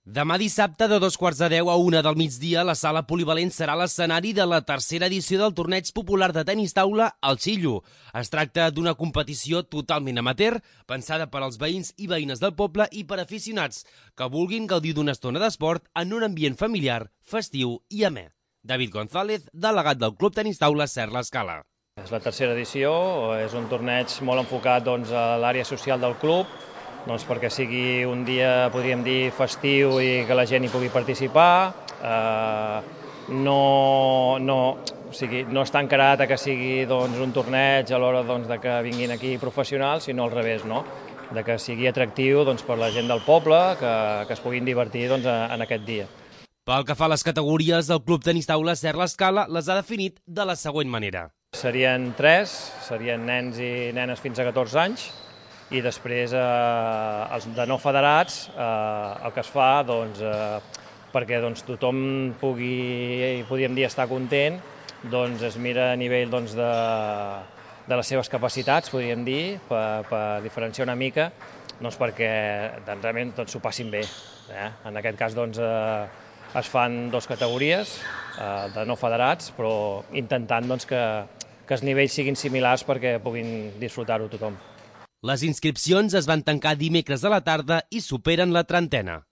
Demà dissabte de 2:15 a 1 del migdia, la sala polivalent serà l'escenari de la tercera edició del torneig popular de tenis taula al Xillo. Es tracta d'una competició totalment amateur, pensada per als veïns i veïnes del poble i per aficionats que vulguin gaudir d'una estona d'esport en un ambient familiar, festiu i amè. David González, delegat del Club Tenis Taula Ser l'Escala. És la tercera edició, és un torneig molt enfocat a l'àrea social del club, perquè sigui un dia, podríem dir, festiu i que la gent hi pugui participar. No està encarat que sigui un torneig a l'hora que vinguin aquí professionals, sinó al revés, de que sigui atractiu per la gent del poble, que es puguin divertir en aquest dia. Pel que fa a les categories, el Club Tenis Taula Ser l'Escala les ha definit de la següent manera. Serien 3, serien nens i nenes fins a 14 anys, i després els de no federats el que es fa perquè tothom pugui, podríem dir, estar content, es mira a nivell de les seves capacitats, podríem dir, per diferenciar una mica, perquè realment s'ho passin bé. En aquest cas es fan 2 categories de no federats, però intentant que els nivells siguin similars perquè puguin disfrutar-ho tothom. Les inscripcions es van tancar dimecres a la tarda i superen la trentena.